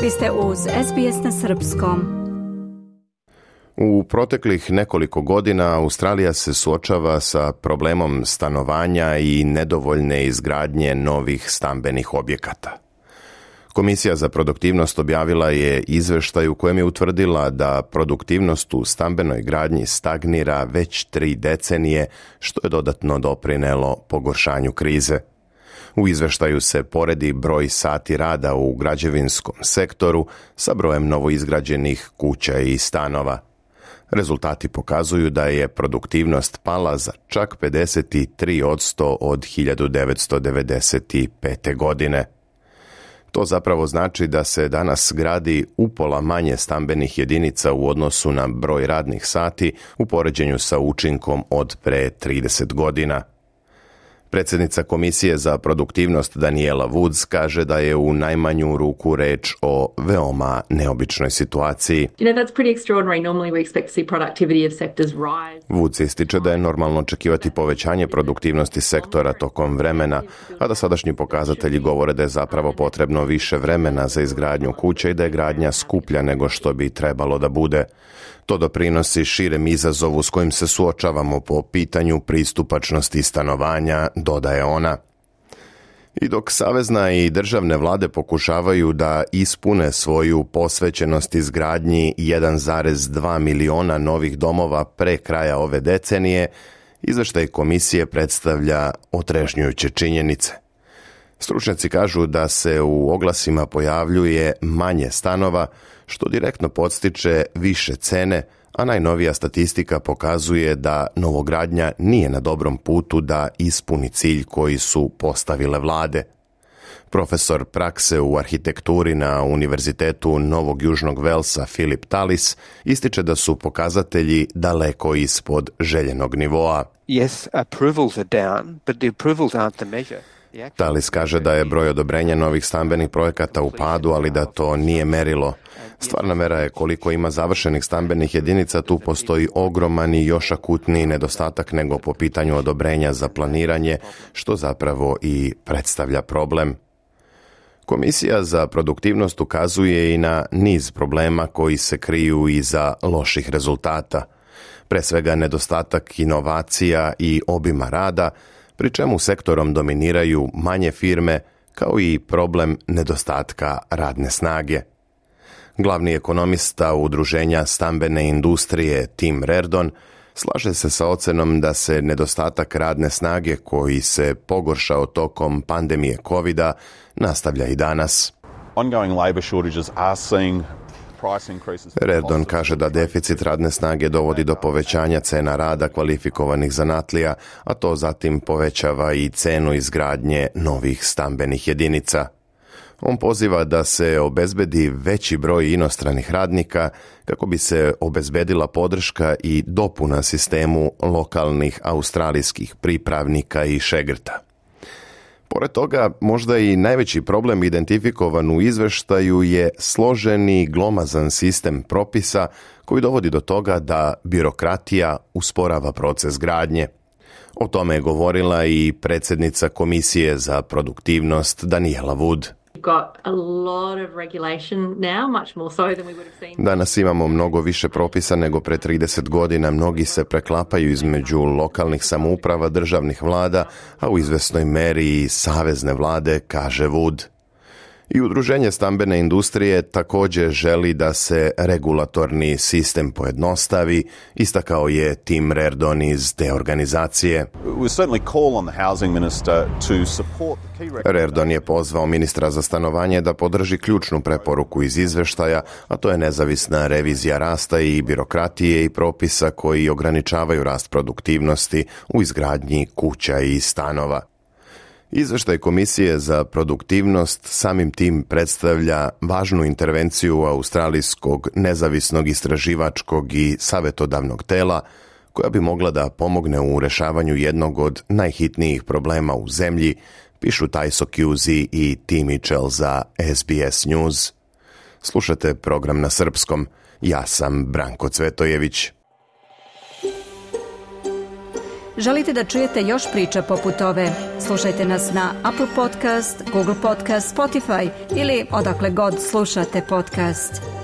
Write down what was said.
Vi ste uz SBS na srpskom. U proteklih nekoliko godina Australija se suočava sa problemom stanovanja i nedovoljne izgradnje novih stambenih objekata. Komisija za produktivnost objavila je izveštaj u kojem je utvrdila da produktivnost u stambenoj gradnji stagnira već 3 decenije, što je dodatno doprinelo pogoršanju krize. U izveštaju se poredi broj sati rada u građevinskom sektoru sa brojem novoizgrađenih kuća i stanova. Rezultati pokazuju da je produktivnost pala za čak 53% od 1995. godine. To zapravo znači da se danas gradi upola manje stambenih jedinica u odnosu na broj radnih sati u poređenju sa učinkom od pre 30 godina. Predsjednica Komisije za produktivnost Daniela Woods kaže da je u najmanju ruku reč o veoma neobičnoj situaciji. Woods ističe da je normalno očekivati povećanje produktivnosti sektora tokom vremena, a da sadašnji pokazatelji govore da je zapravo potrebno više vremena za izgradnju kuće i da je gradnja skuplja nego što bi trebalo da bude. To doprinosi širem izazovu s kojim se suočavamo po pitanju pristupačnosti stanovanja, dodaje ona. I dok savezna i državne vlade pokušavaju da ispune svoju posvećenost izgradnji 1,2 miliona novih domova pre kraja ove decenije, izveštaj komisije predstavlja otrežnjujuće činjenice. Stručnjaci kažu da se u oglasima pojavljuje manje stanova, što direktno podstiče više cene, a najnovija statistika pokazuje da novogradnja nije na dobrom putu da ispuni cilj koji su postavile vlade. Profesor prakse u arhitekturi na Univerzitetu Novog Južnog Velsa Philip Tallis ističe da su pokazatelji daleko ispod željenog nivoa. Yes, approvals are down, but the approvals aren't the measure. Tallis kaže da je broj odobrenja novih stambenih projekata u padu, ali da to nije merilo. Stvarna mera je koliko ima završenih stambenih jedinica, tu postoji ogroman i još akutniji nedostatak nego po pitanju odobrenja za planiranje, što zapravo i predstavlja problem. Komisija za produktivnost ukazuje i na niz problema koji se kriju iza loših rezultata. Pre svega nedostatak inovacija i obima rada, pri čemu sektorom dominiraju manje firme, kao i problem nedostatka radne snage. Glavni ekonomista Udruženja stambene industrije Tim Reardon slaže se sa ocenom da se nedostatak radne snage koji se pogoršao tokom pandemije COVID-a nastavlja i danas. Ongoing labor shortages are seeing. Reardon kaže da deficit radne snage dovodi do povećanja cena rada kvalifikovanih zanatlija, a to zatim povećava i cenu izgradnje novih stambenih jedinica. On poziva da se obezbedi veći broj inostranih radnika kako bi se obezbedila podrška i dopuna sistemu lokalnih australijskih pripravnika i šegrta. Pored toga, možda i najveći problem identifikovan u izveštaju je složeni glomazan sistem propisa koji dovodi do toga da birokratija usporava proces gradnje. O tome je govorila i predsjednica Komisije za produktivnost Daniela Wood. Danas imamo mnogo više propisa nego pre 30 godina. Mnogi se preklapaju između lokalnih samouprava, državnih vlada, a u izvesnoj meri i savezne vlade, kaže Wood. I Udruženje stambene industrije također želi da se regulatorni sistem pojednostavi, istakao je Tim Reardon iz te organizacije. Reardon je pozvao ministra za stanovanje da podrži ključnu preporuku iz izveštaja, a to je nezavisna revizija rasta i birokratije i propisa koji ograničavaju rast produktivnosti u izgradnji kuća i stanova. Izveštaj Komisije za produktivnost samim tim predstavlja važnu intervenciju australijskog nezavisnog istraživačkog i savjetodavnog tela koja bi mogla da pomogne u rešavanju jednog od najhitnijih problema u zemlji, pišu Tajso Kuzi i Tim Mitchell za SBS News. Slušate program na srpskom. Ja sam Branko Cvetojević. Želite da čujete još priča poput ove? Slušajte nas na Apple Podcast, Google Podcast, Spotify ili odakle god slušate podcast.